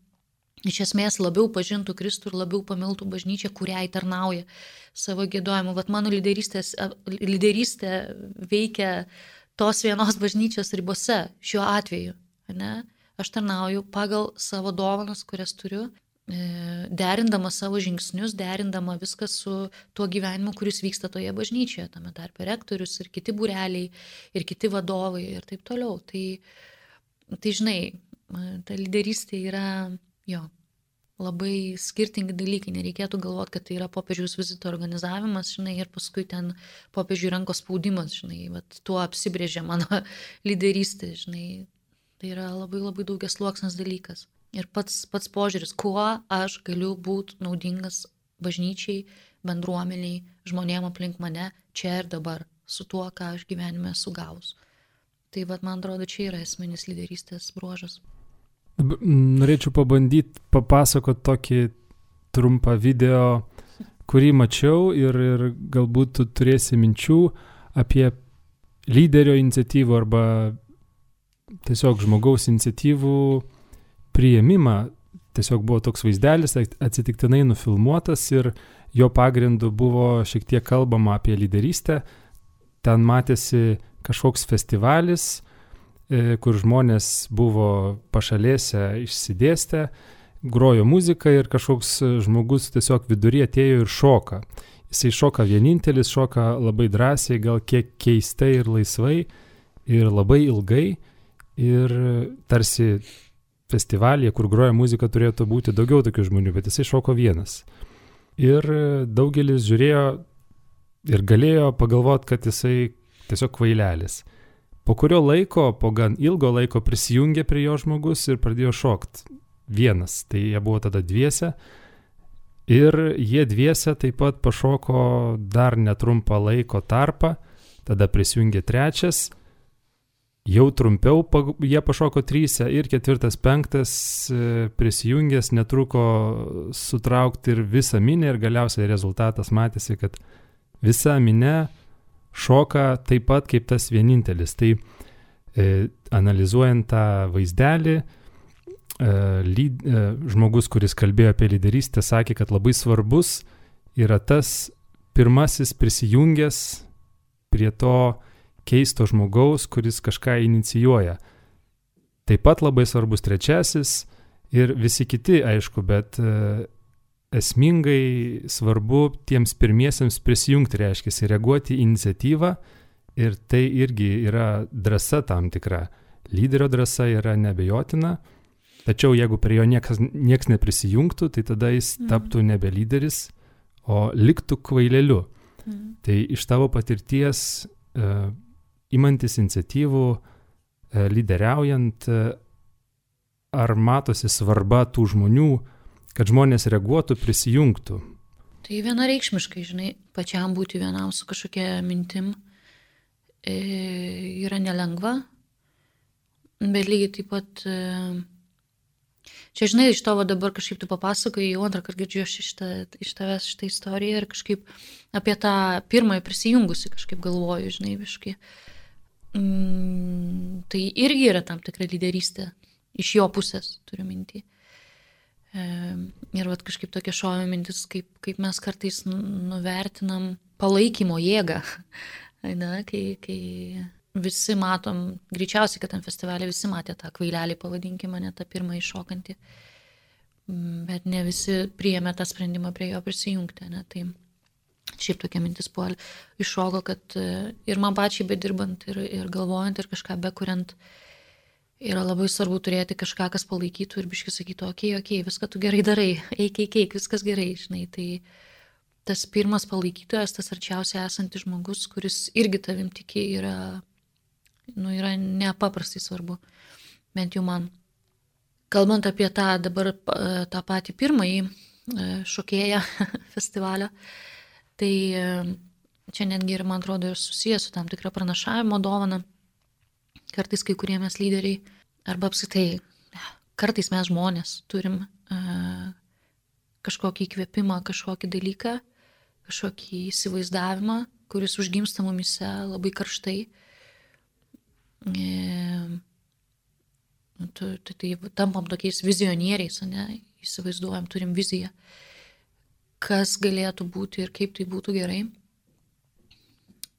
iš esmės labiau pažintų Kristų ir labiau pamiltų bažnyčią, kuriai tarnauja savo giedojimu. Vat mano lyderystė veikia tos vienos bažnyčios ribose šiuo atveju, ne? Aš tarnauju pagal savo dovanas, kurias turiu, derindama savo žingsnius, derindama viską su tuo gyvenimu, kuris vyksta toje bažnyčioje, tame tarpe rektorius ir kiti būreliai, ir kiti vadovai ir taip toliau. Tai žinai, ta lyderystė yra, labai skirtingi dalykai. Nereikėtų galvoti, kad tai yra popiežiaus vizito organizavimas, žinai, ir paskui ten popiežiui rankos spaudimas, žinai, tuo apsibrėžia mano lyderystė, žinai. Tai yra labai labai daugiasluoksnis dalykas. Ir pats požiūris, kuo aš galiu būti naudingas bažnyčiai, bendruomeniai, žmonėm aplink mane, čia ir dabar, su tuo, ką aš gyvenime esu gavus. Tai man atrodo, čia yra esminis lyderystės bruožas. Norėčiau pabandyti papasakoti tokį trumpą video, kurį mačiau ir galbūt tu turėsi minčių apie lyderio iniciatyvų arba tiesiog žmogaus iniciatyvų priėmimą. Tiesiog buvo toks vaizdelis, atsitiktinai nufilmuotas ir jo pagrindu buvo šiek tiek kalbama apie lyderystę. Ten matėsi kažkoks festivalis, kur žmonės buvo pašalėse išsidėstę, grojo muziką ir kažkoks žmogus tiesiog vidury atėjo ir šoka. Jisai šoka vienintelis, šoka labai drąsiai, gal kiek keistai ir laisvai ir labai ilgai. Ir tarsi festivalyje, kur groja muzika, turėtų būti daugiau tokių žmonių, bet jisai šoko vienas. Ir daugelis žiūrėjo ir galėjo pagalvoti, kad jisai tiesiog kvailelis. Po kurio laiko, po gan ilgo laiko prisijungė prie jo žmogus ir pradėjo šokti vienas. Tai jie buvo tada dviese. Ir jie dviese taip pat pašoko dar netrumpą laiko tarpą. Tada prisijungė trečias. Jau trumpiau jie pašoko 3 ir 4, 5 prisijungęs netruko sutraukti ir visą minę ir galiausiai rezultatas matėsi, kad visa minė šoka taip pat kaip tas vienintelis. Tai analizuojant tą vaizdelį, žmogus, kuris kalbėjo apie lyderystę, sakė, kad labai svarbus yra tas pirmasis prisijungęs prie to keisto žmogaus, kuris kažką inicijuoja. Taip pat labai svarbus trečiasis ir visi kiti, aišku, bet esmingai svarbu tiems pirmiesiems prisijungti, reiškia, reaguoti į iniciatyvą ir tai irgi yra drąsa tam tikra. Lyderio drąsa yra neabejotina, tačiau jeigu prie jo nieks neprisijungtų, tai tada jis taptų nebe lyderis, o liktų kvaileliu. Tai iš tavo patirties imantis iniciatyvų, lyderiaujant, ar matosi svarba tų žmonių, kad žmonės reaguotų, prisijungtų? Tai vienareikšmiškai, žinai, pačiam būti vienam su kažkokia mintim yra nelengva, bet lygiai taip pat, čia, žinai, iš tavo dabar kažkaip tu papasakoji, jau antrą kartą girdžiu iš tavęs šitą istoriją ir kažkaip apie tą pirmąją prisijungusi kažkaip galvoju, žinai, visiškai. Tai irgi yra tam tikra lyderystė, iš jo pusės turiu mintį. Ir vat kažkaip tokia šovė mintis, kaip mes kartais nuvertinam palaikymo jėgą, ne, kai visi matom, greičiausiai, kad tam festivalį visi matė tą kvailelį, pavadinkime, ne tą pirmąjį šokantį, bet ne visi priėmė tą sprendimą prie jo prisijungti, ne, tai šiaip tokia mintis buvo iššoko, kad ir man pačiai bedirbant ir galvojant ir kažką bekuriant, yra labai svarbu turėti kažką, kas palaikytų ir biškai sakytų, okei, viską tu gerai darai, eik, viskas gerai, žinai. Tai tas pirmas palaikytojas, tas arčiausiai esantis žmogus, kuris irgi tavim tiki, yra nepaprastai svarbu. Bent jau man. Kalbant apie tą patį pirmąjį šokėją festivalio, tai čia netgi ir, man atrodo, ir susijęs su tam tikra pranašavimo dovana. Kartais kai kurie mes lyderiai, arba apskritai, kartais mes žmonės turim kažkokį įkvėpimą, kažkokį dalyką, kažkokį įsivaizdavimą, kuris užgimsta mumise labai karštai. Tai tampam tokiais vizionieriais, ne? Įsivaizduojam, turim viziją, kas galėtų būti ir kaip tai būtų gerai.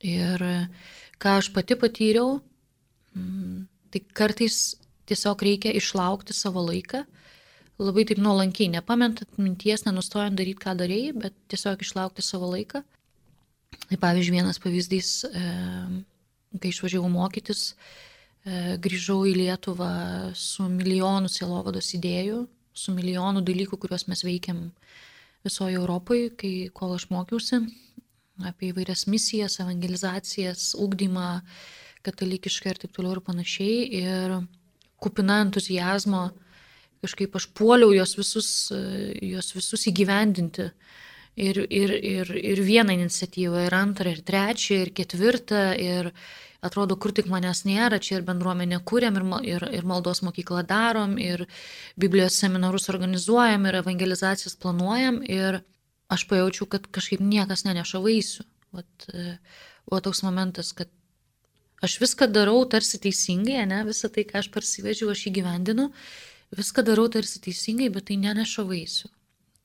Ir ką aš pati patyriau, tai kartais tiesiog reikia išlaukti savo laiką, labai taip nuolankiai, nepametant minties, nenustojant daryti, ką darėjai, bet tiesiog išlaukti savo laiką. Tai pavyzdžiui, vienas pavyzdys, kai išvažiavau mokytis, grįžau į Lietuvą su milijonu sielovados idėjų, su milijonu dalykų, kuriuos mes veikiam visoje Europoje, kol aš mokiausi, apie įvairias misijas, evangelizacijas, ugdymą, katalikiškai ir taip toliau ir panašiai. Ir kupina entuzijazmo kažkaip aš puoliau juos visus įgyvendinti. Ir vieną iniciatyvą, ir antrą, ir trečią, ir ketvirtą. Ir atrodo, kur tik manęs nėra, čia ir bendruomenę kūrėm, ir maldos mokyklą darom, ir Biblijos seminarus organizuojam, ir evangelizacijas planuojam. Ir aš pajaučiau, kad kažkaip niekas neneša vaisių. Buvo toks momentas, kad aš viską darau tarsi teisingai, ne? Visą tai, ką aš parsivežiau, aš įgyvendinu, viską darau tarsi teisingai, bet tai neneša vaisių.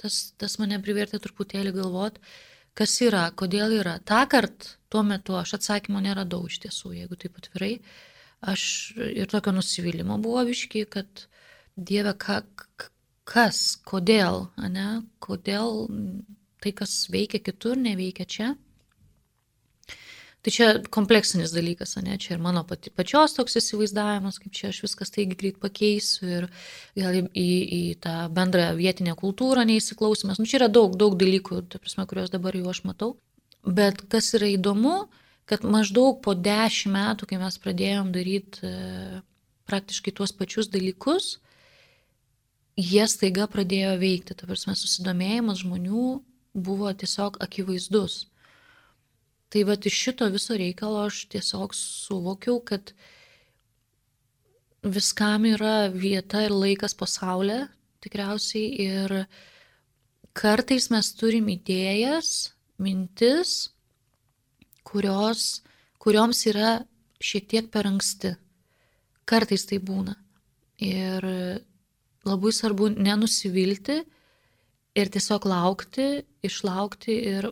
Tas mane privertė truputėlį galvot, kas yra, kodėl yra. Tąkart, tuo metu aš atsakymo neradau iš tiesų, jeigu taip atvirai. Aš ir tokio nusivylimo buvo biški, kad Dieve, kas, kodėl, ne? Kodėl tai, kas veikia kitur, neveikia čia. Tai čia kompleksinis dalykas, ne? Čia ir mano pačios toks įsivaizdavimas, kaip čia aš viskas taigi greit pakeisiu ir gal į tą bendrą vietinę kultūrą neįsiklausimas. Čia yra daug dalykų, ta prasme, kuriuos dabar jau aš matau. Bet kas yra įdomu, kad maždaug po 10 metų, kai mes pradėjom daryti praktiškai tuos pačius dalykus, jie staiga pradėjo veikti. Ta prasme, susidomėjimas žmonių buvo tiesiog akivaizdus. Tai vat iš šito viso reikalo aš tiesiog suvokiau, kad viskam yra vieta ir laikas pasaulyje, tikriausiai, ir kartais mes turim idėjas, mintis, kurioms yra šiek tiek per anksti. Kartais tai būna. Ir labai svarbu nenusivilti ir tiesiog laukti, išlaukti ir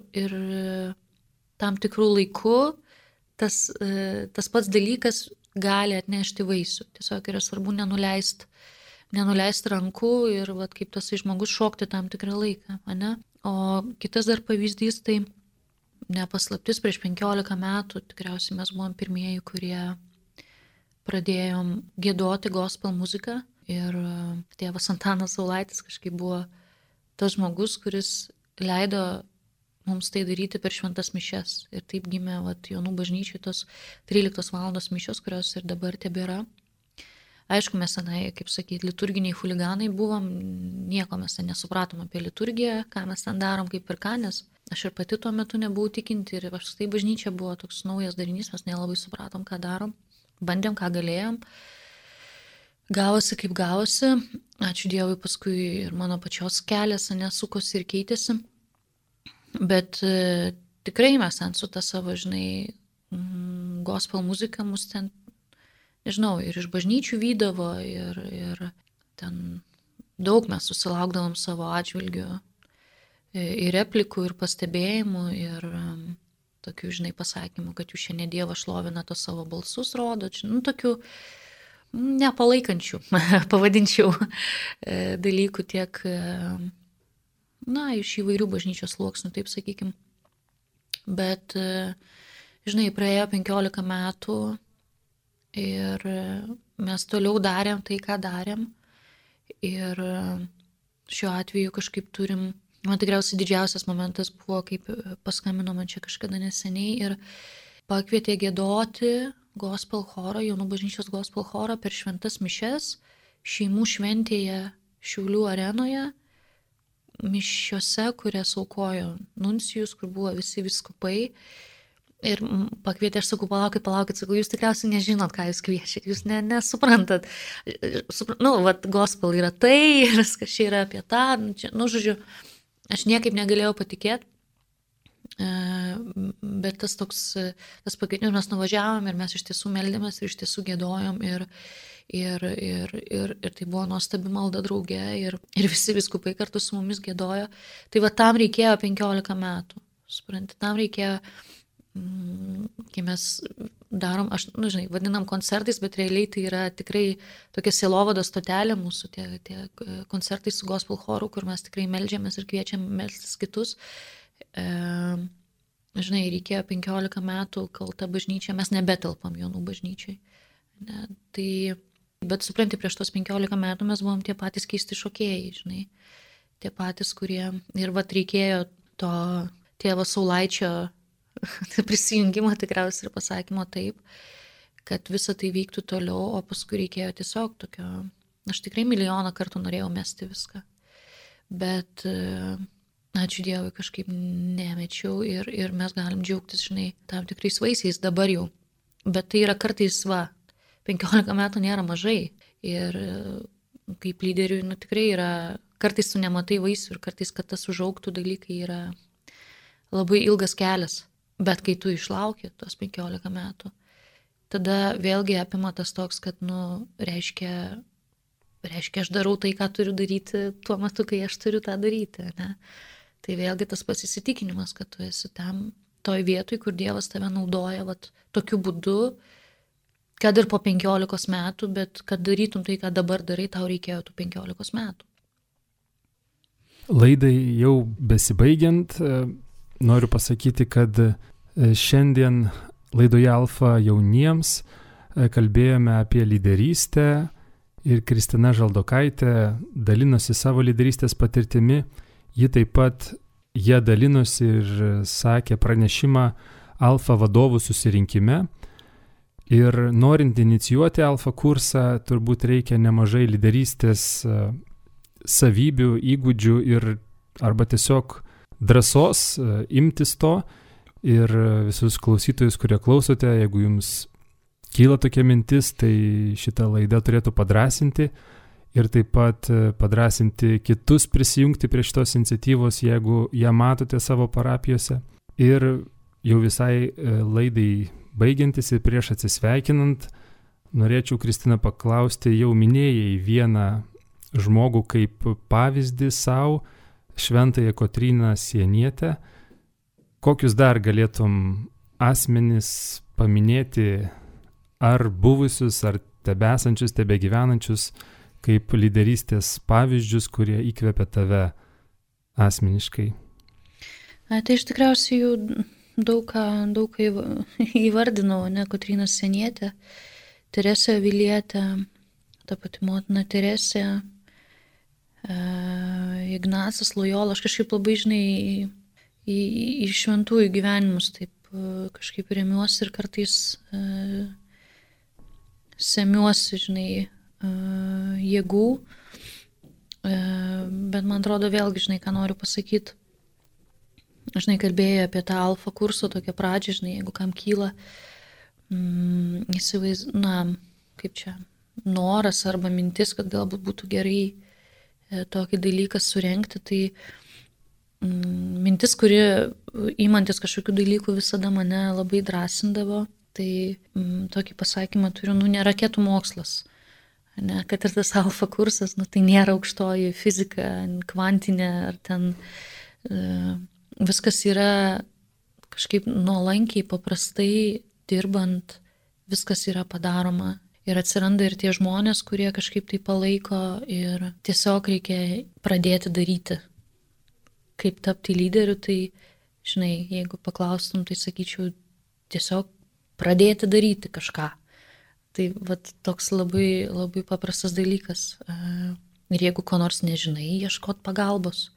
tam tikrų laikų tas pats dalykas gali atnešti vaisių. Tiesiog yra svarbu nenuleist rankų ir vat, kaip tas žmogus šokti tam tikrą laiką. Ne? O kitas dar pavyzdys, tai nepaslaptis, prieš 15 metų tikriausiai mes buvom pirmieji, kurie pradėjom giedoti gospel muziką ir tėvas Antanas Saulaitis kažkaip buvo tas žmogus, kuris leido mums tai daryti per šventas mišias. Ir taip gimė Jonų bažnyčiai tos 13 valandos mišios, kurios ir dabar tebėra. Aišku, mes senai, kaip sakyti, liturginiai huliganai buvom, nieko mes ten nesupratom apie liturgiją, ką mes ten darom, kaip ir ką, nes aš ir pati tuo metu nebuvau tikinti ir tai bažnyčia buvo toks naujas darinys, mes nelabai supratom, ką darom, bandėm, ką galėjom. Gavosi, kaip gavosi, ačiū Dievui, paskui ir mano pačios kelias nesukosi ir keitėsi, bet tikrai mes ten su ta savo, gospel muzika mus ten, nežinau, ir iš bažnyčių vydavo, ir ten daug mes susilaukdavom savo atžvilgių ir replikų, ir pastebėjimų, ir tokių, pasakymų, kad jūs šiandien Dievą šlovina to savo balsus rodo, tokių nepalaikančių, pavadinčiau, dalykų tiek, iš įvairių bažnyčios sluoksnių, taip sakykim. Bet, praėjo 15 metų, ir mes toliau darėm tai, ką darėm. Ir šiuo atveju kažkaip turim, man tikriausiai didžiausias momentas buvo, kaip paskambino man čia kažkada neseniai ir pakvietė giedoti gospel chorą, Jonų bažnyčios gospel chorą per šventas mišias, šeimų šventėje Šiaulių arenoje, mišiose, kurias aukojo nuncijus, kur buvo visi vyskupai. Ir pakvietė, aš sakau, palaukit, sakau, jūs tikriausiai nežinot, ką jūs kviečiat, jūs nesuprantat. Gospel yra tai, viskas čia yra apie tą, žodžiu, aš niekaip negalėjau patikėti, bet tas pakvietimas, mes nuvažiavom ir mes iš tiesų meldėmės ir iš tiesų giedojom ir tai buvo nuostabi malda drauge ir visi vyskupai kartu su mumis giedojo. Tai tam reikėjo 15 metų, supranti, tam reikėjo, kai mes darom, vadinam koncertais, bet realiai tai yra tikrai tokia sielovados stotelė mūsų, tie koncertai su gospel choru, kur mes tikrai meldžiamės ir kviečiam melstis kitus. Reikėjo 15 metų, kol ta bažnyčia, mes nebetelpam Jonų bažnyčiai. Bet supranti, prieš tos 15 metų mes buvom tie patys keisti šokėjai, tie patys, kurie ir reikėjo to tėvo Saulaičio prisijungimo tikriausiai ir pasakymo taip, kad visa tai vyktų toliau, o paskui reikėjo tiesiog tokio, aš tikrai milijoną kartų norėjau mesti viską, bet ačiū Dievui kažkaip nemečiau ir mes galim džiaugtis, tam tikrais vaisiais dabar jau, bet tai yra kartais 15 metų nėra mažai ir kaip lyderiui, tikrai yra, kartais tu nematai vaisių ir kartais, kad tas užaugtų dalykai yra labai ilgas kelias. Bet kai tu išlauki tos 15 metų, tada vėlgi apima tas toks, kad, reiškia, aš darau tai, ką turiu daryti tuo metu, kai aš turiu tą daryti, ne? Tai vėlgi tas pasitikinimas, kad tu esi tam, toj vietoj, kur Dievas tave naudoja, tokiu būdu, kad ir po 15 metų, bet kad darytum tai, ką dabar darai, tau reikėjo tų 15 metų. Laidai jau besibaigiant, noriu pasakyti, kad šiandien laidoje Alfa jauniems kalbėjome apie lyderystę ir Kristina Žaldokaitė dalinosi savo lyderystės patirtimi. Ji taip pat dalinosi ir sakė pranešimą Alfa vadovų susirinkime. Ir norint inicijuoti Alfa kursą, turbūt reikia nemažai lyderystės savybių, įgūdžių arba tiesiog drąsos imtis to. Ir visus klausytojus, kurie klausote, jeigu jums kyla tokia mintis, tai šitą laidą turėtų padrąsinti ir taip pat padrąsinti kitus prisijungti prie šitos iniciatyvos, jeigu ją matote savo parapijose. Ir jau visai laidai baigiantis ir prieš atsisveikinant, norėčiau, Kristina, paklausti, jau minėjai vieną žmogų kaip pavyzdį savo, šventąją Kotryną Sienietę. Kokius dar galėtum asmenis paminėti, ar buvusius, ar tebesančius, tebegyvenančius, kaip lyderystės pavyzdžius, kurie įkvepia tave asmeniškai? Tai iš tikriausiai jau daug ką įvardinau, Kotryna Sienietė, Teresė Avilietė, ta pati motina Teresė, Ignacas Lojola. Aš kažkaip labai, į šventųjų gyvenimus taip kažkaip remiuosi ir kartais semiuosi, žinai, jėgų, bet man atrodo vėlgi, žinai, ką noriu pasakyti. Žinai, kalbėjau apie tą alfa kurso tokią pradžią, žinai, jeigu kam kyla, kaip čia, noras arba mintis, kad galbūt būtų gerai tokį dalyką surengti, tai mintis, kuri įmantis kažkokių dalykų visada mane labai drąsindavo, tai tokį pasakymą turiu, ne raketų mokslas, ne, kad ir tas alfa kursas, tai nėra aukštoji fizika, kvantinė ar ten viskas yra kažkaip nuolankiai, paprastai dirbant, viskas yra padaroma. Ir atsiranda ir tie žmonės, kurie kažkaip tai palaiko ir tiesiog reikia pradėti daryti. Kaip tapti lyderiu, tai, žinai, jeigu paklaustum, tai sakyčiau, tiesiog pradėti daryti kažką. Tai vat, toks labai, labai paprastas dalykas. Ir jeigu ko nors nežinai, ieškot pagalbos,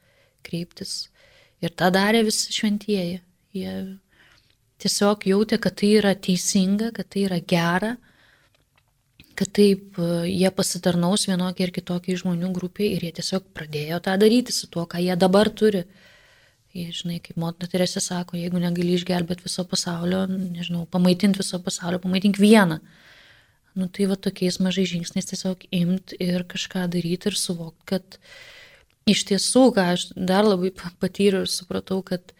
kreiptis. Ir tą darė visi šventieji. Jie tiesiog jautė, kad tai yra teisinga, kad tai yra gera, kad taip jie pasitarnaus vienokiai ir kitokiai žmonių grupiai ir jie tiesiog pradėjo tą daryti su tuo, ką jie dabar turi. Jie, žinai, kaip motina Teresė sako, jeigu negali išgelbėti viso pasaulio, nežinau, pamaitinti viso pasaulio, pamaitink vieną. Tai va tokiais mažais žingsniais tiesiog imt ir kažką daryti ir suvokti, kad iš tiesų, ką aš dar labai patyriau ir supratau, kad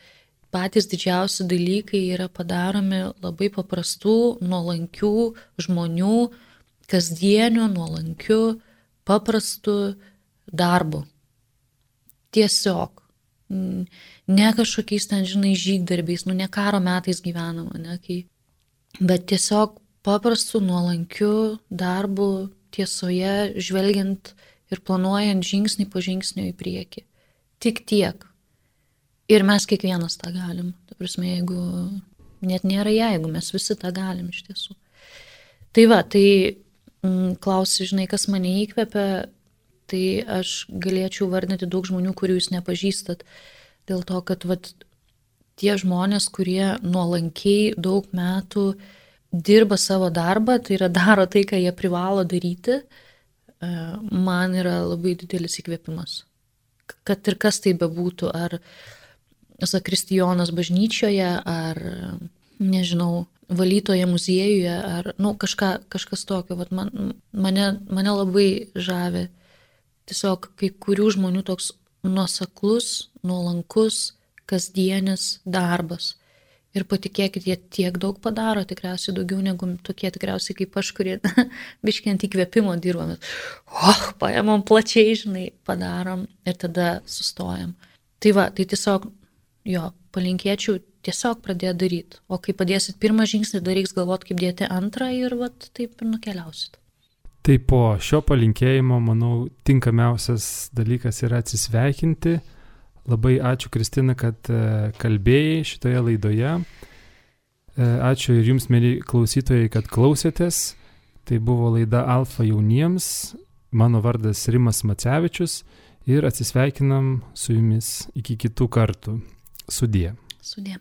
patys didžiausi dalykai yra padaromi labai paprastų, nuolankių žmonių, kasdieniu, nuolankiu, paprastu darbu. Tiesiog. Ne kažkokiais ten, žinai, žygdarbiais, ne karo metais gyvenama, bet tiesiog paprastu, nuolankiu darbu tiesoje, žvelgiant ir planuojant žingsnį po žingsnio į priekį. Tik tiek. Ir mes kiekvienas tą galim. Ta prasme, jeigu net nėra jeigu, mes visi tą galim iš tiesų. Tai va, klausi, žinai, kas mane įkvepia, tai aš galėčiau vardinti daug žmonių, kurių jūs nepažįstat. Dėl to, kad tie žmonės, kurie nuolankiai daug metų dirba savo darbą, tai yra daro tai, ką jie privalo daryti, man yra labai didelis įkvėpimas. Kad ir kas tai bebūtų, ar zakristijonas bažnyčioje, ar, nežinau, valytoje muziejuje, ar kažkas tokio. Mane labai žavi tiesiog kai kurių žmonių toks nuoseklus, nuolankus, kasdienis darbas. Ir patikėkit, jie tiek daug padaro, tikriausiai daugiau negu tokie tikriausiai kaip aš, kurie biškį ant įkvėpimo dirbame. Paėmam plačiai, žinai, padarom ir tada sustojam. Tai va, tai tiesiog, palinkėčiau tiesiog pradėti daryti. O kai padėsit pirmą žingsnį, dar reiks galvoti, kaip dėti antrą ir taip ir nukeliausit. Tai po šio palinkėjimo, manau, tinkamiausias dalykas yra atsisveikinti. Labai ačiū, Kristina, kad kalbėjai šitoje laidoje. Ačiū ir jums, mėly klausytojai, kad klausėtės. Tai buvo laida Alfa jauniems. Mano vardas Rimas Macevičius ir atsisveikinam su jumis iki kitų kartų. Sudie. Sudie.